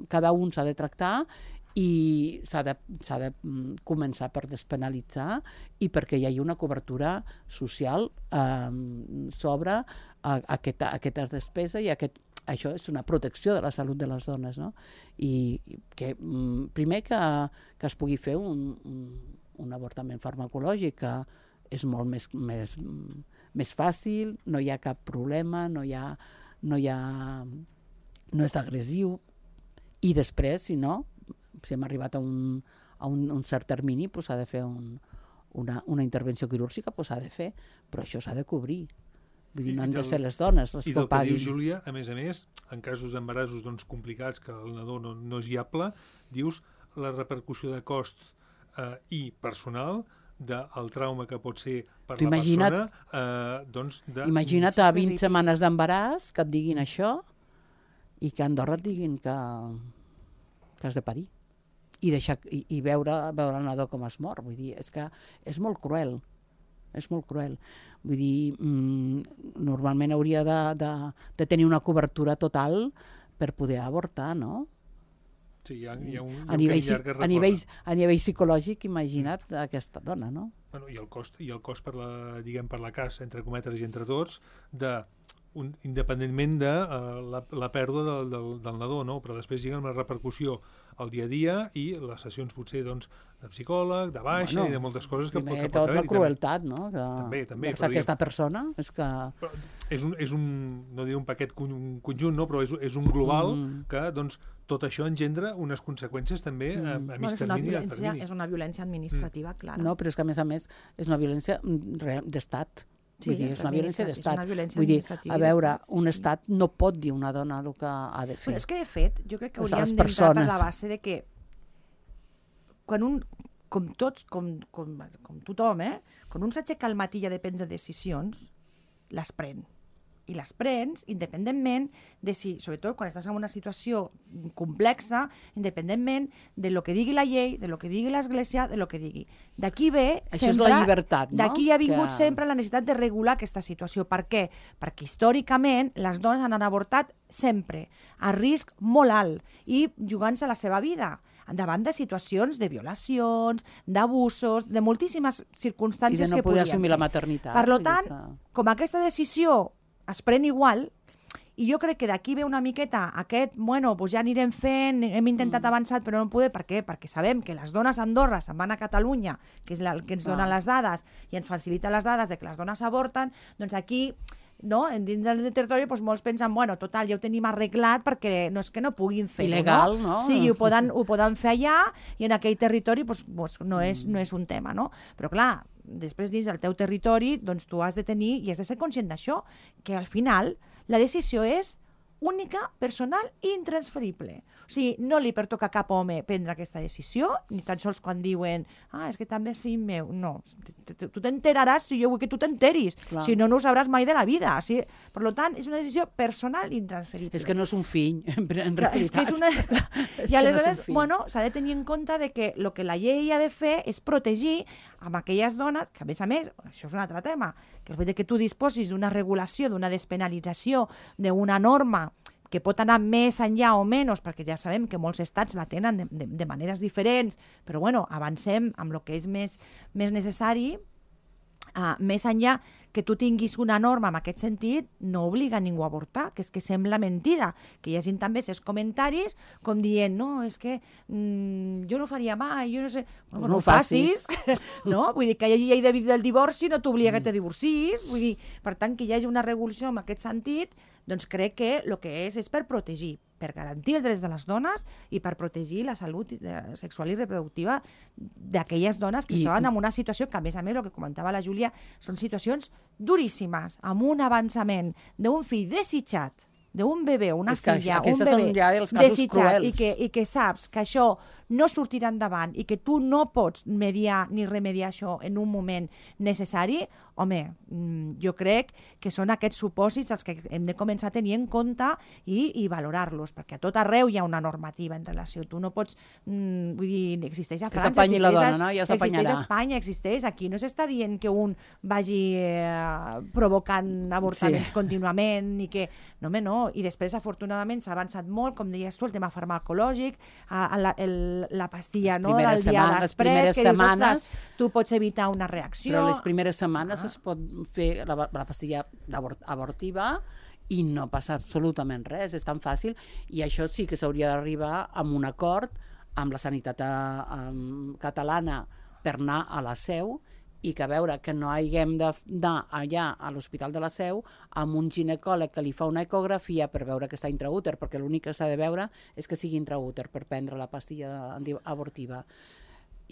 Cada un s'ha de tractar i s'ha de començar per despenalitzar i perquè hi hagi una cobertura social sobre aquesta despesa i això és una protecció de la salut de les dones, no? I que primer que es pugui fer un avortament farmacològic, que és molt més fàcil, no hi ha cap problema, no és agressiu, i després, si hem arribat a un cert termini, s'ha de fer una intervenció quirúrgica, s'ha de fer, però això s'ha de cobrir. Vull dir, no han de ser les dones les que ho paguin. I del que diu Júlia, a més, en casos d'embarassos complicats, que el nadó no és viable, dius la repercussió de cost i personal del trauma que pot ser per la persona. Imagina't a 20 setmanes d'embaràs que et diguin això i que a Andorra et diguin que has de parir i veure el nadó com es mor. Vull dir, és que és molt cruel. És molt cruel. Vull dir, normalment hauria de tenir una cobertura total per poder avortar, no? Sí, hi ha un a nivell psicològic, imagina't aquesta dona, no? Bueno, i el cost per la casa, entre cometes i entre tots, independentment de la pèrdua del nadó, no? Però després lliguen amb la repercussió al dia a dia i les sessions potser de psicòleg, de baixa i de moltes coses que pot haver. Primer tot la crueltat, no? També. Aquesta persona és que... És no diré un paquet conjunt, no? Però és un global que tot això engendra unes conseqüències també a mig termini i a termini. És una violència administrativa, clara. No, però és que a més és una violència d'estat. Sí, vull dir, és una violència d'estat. Vull dir, a veure, un estat no pot dir a una dona el que ha de fer. Però és que, de fet, jo crec que hauríem d'entrar per la base de que quan com tothom, quan un s'aixeca al matí i ha de prendre decisions, les pren. i les prens independentment de si, sobretot quan estàs en una situació complexa, independentment de lo que digui la llei, de lo que digui l'Església, de lo que digui. D'aquí ve Això sempre... és la llibertat, no? D'aquí ha vingut sempre la necessitat de regular aquesta situació. Per què? Perquè històricament les dones han avortat sempre, a risc molt alt, i jugant-se la seva vida davant de situacions de violacions, d'abusos, de moltíssimes circumstàncies que podien ser. I de no poder assumir la maternitat. Per tant, com aquesta decisió es pren igual, i jo crec que d'aquí ve una miqueta aquest, bueno, doncs ja anirem fent, hem intentat avançar, però no podem, per què? Perquè sabem que les dones a Andorra se'n van a Catalunya, que és el que ens donen les dades, i ens facilita les dades de que les dones avorten, doncs aquí... No? Dins del territori doncs, molts pensen, bueno, total, ja ho tenim arreglat perquè no és que no puguin fer-ho. Il·legal, no? Sí, ho poden fer allà i en aquell territori doncs, no és un tema, no? Però clar, després dins del teu territori doncs, tu has de tenir i has de ser conscient d'això, que al final la decisió és única, personal i intransferible. O sigui, no li pertoca a cap home prendre aquesta decisió, ni tan sols quan diuen és que també és fill meu. No, tu t'enteraràs si jo vull que tu t'enteris. Si no, no ho sabràs mai de la vida. O sigui, per tant, és una decisió personal i intransferible. És que no és un fill, en realitat. És que és una... I aleshores, bueno, s'ha de tenir en compte de que el que la llei ha de fer és protegir amb aquelles dones, que a més, això és un altre tema, que el fet que tu disposis d'una regulació, d'una despenalització, d'una norma que pot anar més enllà o menys, perquè ja sabem que molts estats la tenen de maneres diferents, però bueno, avancem amb el que és més necessari, més enllà que tu tinguis una norma en aquest sentit, no obliga ningú a avortar, que és que sembla mentida, que hi hagi també aquests comentaris com dient, no, és que jo no ho faria mai, jo no sé... Bueno, no ho facis, no? Vull dir, que hi hagi llei del divorci no t'obliga que te divorcis, vull dir, per tant, que hi hagi una regulació en aquest sentit, doncs crec que el que és per protegir, per garantir els drets de les dones i per protegir la salut sexual i reproductiva d'aquelles dones que estaven en una situació que, a més, el que comentava la Júlia, són situacions duríssimes, amb un avançament d'un fill desitjat, d'un bebè, una filla, un bebè desitjat, i que saps que això no sortirà endavant i que tu no pots mediar ni remediar això en un moment necessari, home, jo crec que són aquests supòsits els que hem de començar a tenir en compte i valorar-los, perquè a tot arreu hi ha una normativa en relació. Tu no pots... vull dir, existeix a França, existeix a Espanya, existeix aquí. No s'està dient que un vagi provocant avortaments contínuament i que... No, home, no. I després, afortunadament, s'ha avançat molt, com deies tu, el tema farmacològic, la pastilla del dia després, que dius, ostres, tu pots evitar una reacció. Però les primeres setmanes es pot fer la pastilla abortiva i no passa absolutament res, és tan fàcil, i això sí que s'hauria d'arribar amb un acord amb la sanitat catalana per anar a la Seu, i que a veure que no haguem d'anar allà a l'Hospital de la Seu amb un ginecòleg que li fa una ecografia per veure que està intraúter, perquè l'únic que s'ha de veure és que sigui intraúter per prendre la pastilla abortiva.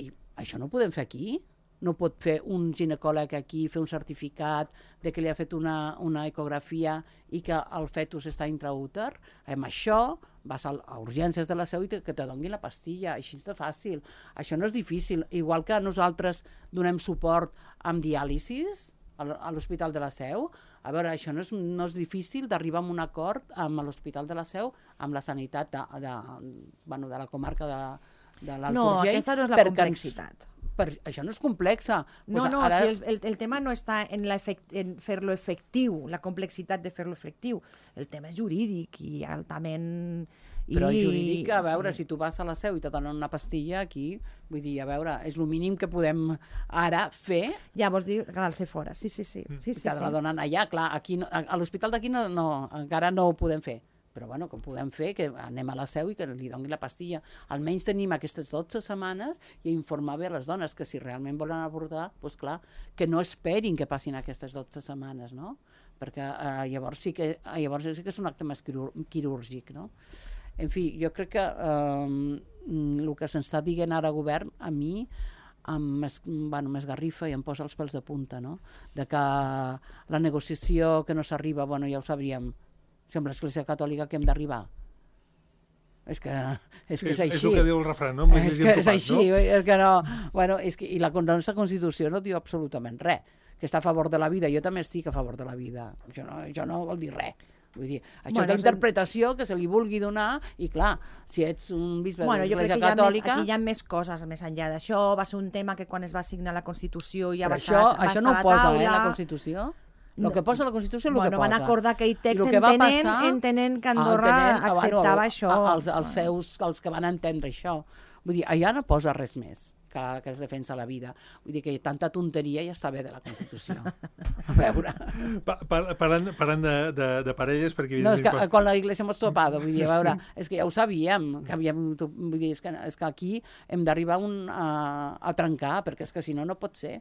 I això no ho podem fer aquí? No pot fer un ginecòleg aquí, fer un certificat de que li ha fet una ecografia i que el fetus està intraúter? Amb això vas a urgències de la Seu i que te donguin la pastilla, així és de fàcil. Això no és difícil. Igual que nosaltres donem suport amb diàlisis a l'Hospital de la Seu, a veure, això no és difícil d'arribar a un acord amb l'Hospital de la Seu, amb la sanitat de la comarca de l'Alt Urgell. No, aquesta no és la complexitat. Això no és complexa. No, el tema no està en fer-lo efectiu, la complexitat de fer-lo efectiu. El tema és jurídic i altament... Però el jurídic, a veure, si tu vas a la Seu i te donen una pastilla aquí, vull dir, a veure, és el mínim que podem ara fer. Ja vols dir que l'al ser fora, sí. Que la donen allà, clar, a l'hospital d'aquí encara no ho podem fer. Però bueno, que ho podem fer, que anem a la Seu i que li donin la pastilla. Almenys tenim aquestes 12 setmanes i informar bé a les dones que si realment volen avortar, doncs clar, que no esperin que passin aquestes 12 setmanes, no? Perquè llavors sí que és un acte més quirúrgic, no? En fi, jo crec que el que se'ns està dient ara al govern, a mi, més garrifa i em posa els pèls de punta, no? De que la negociació que no s'arriba, bueno, ja ho sabríem, si amb l'Església Catòlica que hem d'arribar. És que és així. És el que diu el refrany, no? És que és així, és que no... Bueno, i la nostra Constitució no diu absolutament res. que està a favor de la vida, jo també estic a favor de la vida. Això no vol dir res. Vull dir, això Bueno, és l'interpretació que se li vulgui donar i clar, si ets un bisbe de jo crec l'Església que Catòlica... aquí hi ha més coses més enllà d'això. Va ser un tema que quan es va signar la Constitució ja va Però estar això no ho posa, la Constitució. El que posa a la Constitució és el que posa. Van acordar aquell text entenent que Andorra acceptava això. Els que van entendre això. Vull dir, allà no posa res més que es defensa la vida. Vull dir que tanta tonteria ja està bé de la Constitució. A veure... Parlant de parelles, perquè... No, és que con la Iglesia hemos topado, vull dir, a veure, és que ja ho sabíem, que vull dir, és que aquí hem d'arribar a trencar, perquè és que si no, no pot ser.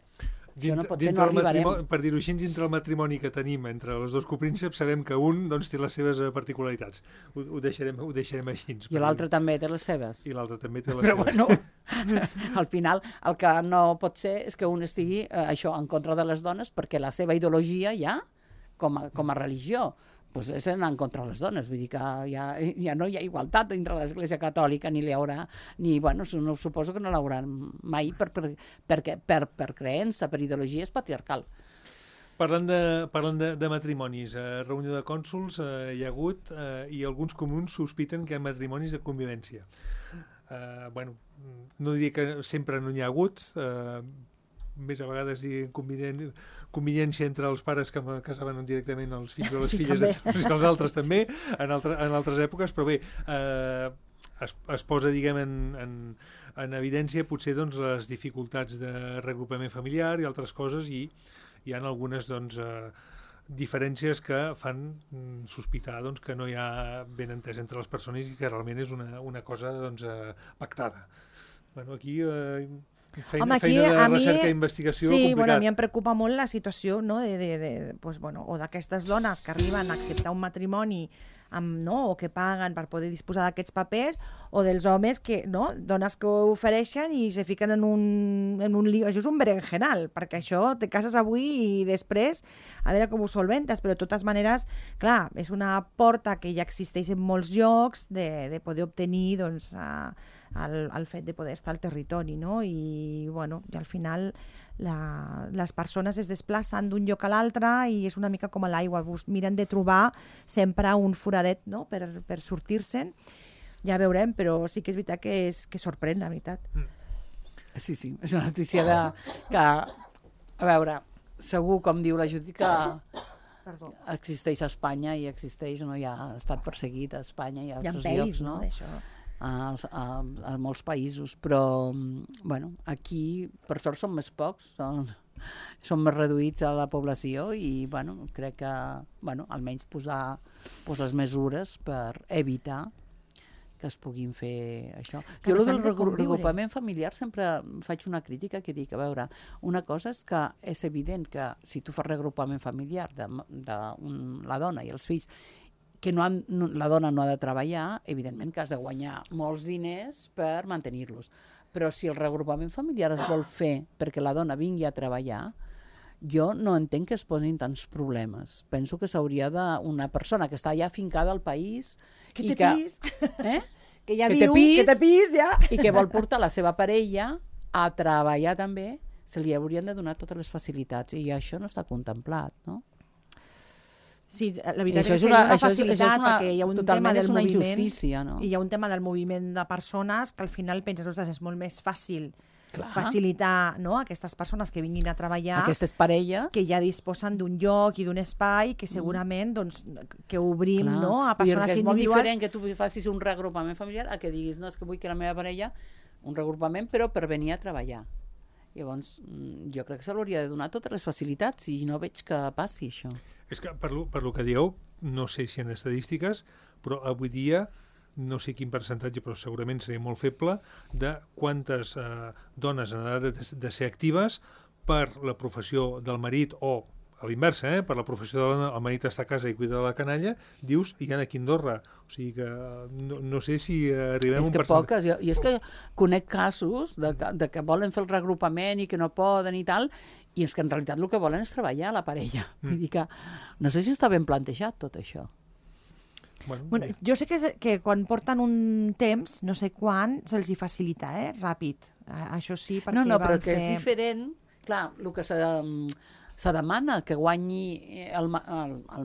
Això no pot ser, no arribarem. Per dir-ho així, dintre el matrimoni que tenim entre els dos coprínceps, sabem que un té les seves particularitats. Ho deixarem així. I l'altre també té les seves. I l'altre també té les seves. Però bueno, al final el que no pot ser és que un estigui en contra de les dones perquè la seva ideologia ja, com a religió, doncs és anar en contra de les dones. Vull dir que ja no hi ha igualtat dintre l'Església Catòlica, ni hi haurà, suposo que no l'haurà mai per creença, per ideologia és patriarcal. Parlant de matrimonis, reunió de cònsols hi ha hagut i alguns comuns sospiten que hi ha matrimonis de convivència. No diria que sempre no n'hi ha hagut, més a vegades convivència entre els pares que casaven directament els fills o les filles i els altres també, en altres èpoques, però bé, es posa, diguem, en evidència potser doncs, les dificultats de reagrupament familiar i altres coses, i hi ha algunes diferències que fan sospitar que no hi ha ben entès entre les persones i que realment és una cosa pactada. Aquí... Feina de recerca i investigació complicat. A mi em preocupa molt la situació o d'aquestes dones que arriben a acceptar un matrimoni o que paguen per poder disposar d'aquests papers, o dels homes dones que ho ofereixen i se fiquen en un lío. Això és un berenjenal, perquè això te cases avui i després a veure com ho solventes, però de totes maneres, clar, és una porta que ja existeix en molts llocs de poder obtenir el fet de poder estar al territori, no? I al final les persones es desplacen d'un lloc a l'altre i és una mica com a l'aigua, miren de trobar sempre un foradet, no? per sortir-se'n. Ja veurem, però sí que és veritat que sorprèn, la veritat. Sí, és una notícia que, a veure, segur, com diu la Judit, que existeix a Espanya i existeix, ja ha estat perseguit a Espanya i a altres llocs, no? A molts països, però aquí per sort són més pocs, són més reduïts a la població i crec que almenys posar les mesures per evitar que es puguin fer això. Jo del regrupament familiar sempre faig una crítica que dic, a veure, una cosa és que és evident que si tu fas regrupament familiar de la dona i els fills que la dona no ha de treballar, evidentment que has de guanyar molts diners per mantenir-los. Però si el reagrupament familiar es vol fer perquè la dona vingui a treballar, jo no entenc que es posin tants problemes. Penso que s'hauria d'una persona que està ja afincada al país... Que té pis. Que ja viu, que té pis, ja. I que vol portar la seva parella a treballar també, se li haurien de donar totes les facilitats. I això no està contemplat, no? Sí, la veritat és que seria una facilitat perquè hi ha un tema del moviment no? I hi ha un tema del moviment de persones que al final penses, ostres, és molt més fàcil facilitar aquestes persones que vinguin a treballar, aquestes parelles que ja disposen d'un lloc i d'un espai que segurament que obrim a persones individuals. És molt diferent que tu facis un reagrupament familiar a que diguis, no, és que vull que la meva parella un reagrupament però per venir a treballar. Llavors, jo crec que se l'hauria de donar totes les facilitats i no veig que passi això. És que per lo que dieu, no sé si en estadístiques, però avui dia, no sé quin percentatge, però segurament seria molt feble, de quantes dones en edat de ser actives per la professió del marit o a l'inversa, per la professió de la dona, el marit està a casa i cuida de la canalla, dius, hi ha aquí a Andorra. O sigui que no sé si arribem a un percentatge. És que poques, i és que conec casos de que volen fer el reagrupament i que no poden i tal, i és que en realitat el que volen és treballar la parella. Vull dir que no sé si està ben plantejat tot això. Bueno, jo sé que quan porten un temps, no sé quan, se'ls hi facilita, ràpid. Això sí, perquè no, però que és diferent. Clar, el que se demana que guanyi el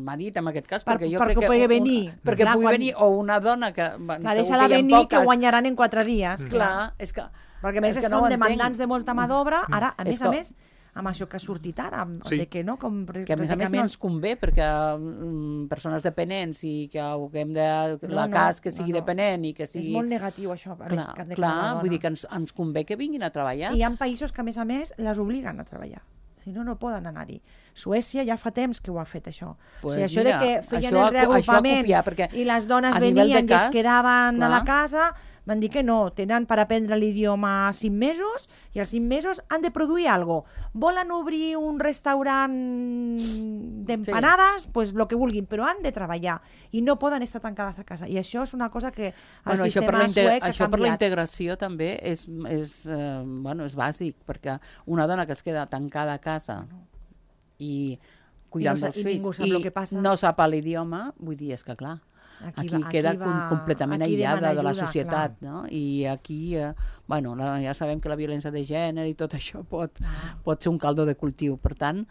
marit, en aquest cas, perquè jo perquè crec que... pugui venir. Perquè Clar, pugui venir, o una dona que... Deixa-la venir, que guanyaran en 4 dies. Clar, és que... Perquè a més no són demandants de molta mà d'obra, ara, a més, amb això que ha sortit ara, Sí. que no, com Que a més no ens convé, perquè persones dependents i que haguem de... cas que sigui dependent i que sigui... És molt negatiu, això. Clar, vull dir que ens convé que vinguin a treballar. I hi ha països que, a més, les obliguen a treballar. Si no, no poden anar-hi. Suècia ja fa temps que ho ha fet, això. Pues o sigui, això mira, de que feien això el reagrupament copiar, i les dones a nivell venien de cas, i es quedaven a la clar. casa, van dir que no, tenen per aprendre l'idioma 5 mesos i als 5 mesos han de produir alguna cosa. Volen obrir un restaurant d'empanades, pues lo que vulguin, però han de treballar i no poden estar tancades a casa. I això és una cosa que el sistema suec ha canviat. Això per la integració també és bàsic, perquè una dona que es queda tancada a casa i cuidant dels fills i no sap l'idioma, vull dir, és que clar, aquí queda completament aïllada de la societat, no? I aquí, ja sabem que la violència de gènere i tot això pot ser un caldo de cultiu, per tant,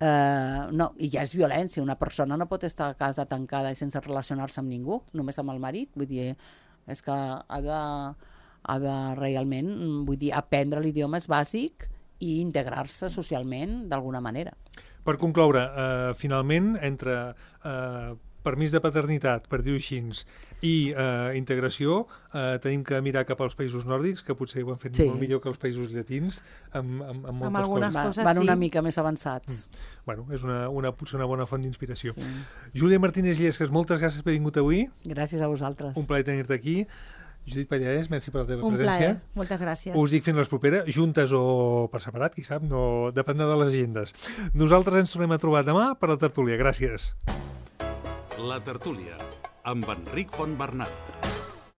no, i ja és violència, una persona no pot estar a casa tancada i sense relacionar-se amb ningú, només amb el marit, vull dir, és que ha de realment, vull dir, aprendre l'idioma és bàsic i integrar-se socialment d'alguna manera. Per concloure, finalment, entre permís de paternitat, per dir-ho així, i integració, tenim que mirar cap als països nòrdics, que potser ho han fet molt millor que els països llatins, amb moltes coses. Van una mica més avançats. Bueno, és potser una bona font d'inspiració. Sí. Júlia Martínez Llesques, moltes gràcies per haver vingut avui. Gràcies a vosaltres. Un plaer tenir-te aquí. Judit Pallarès, merci per la teva presència. Un plaer, moltes gràcies. Us dic fins les properes, juntes o per separat, qui sap, no dependrà de les agendes. Nosaltres ens tornem a trobar demà per la tertúlia. Gràcies. La tertúlia, amb Enric Fontbernat.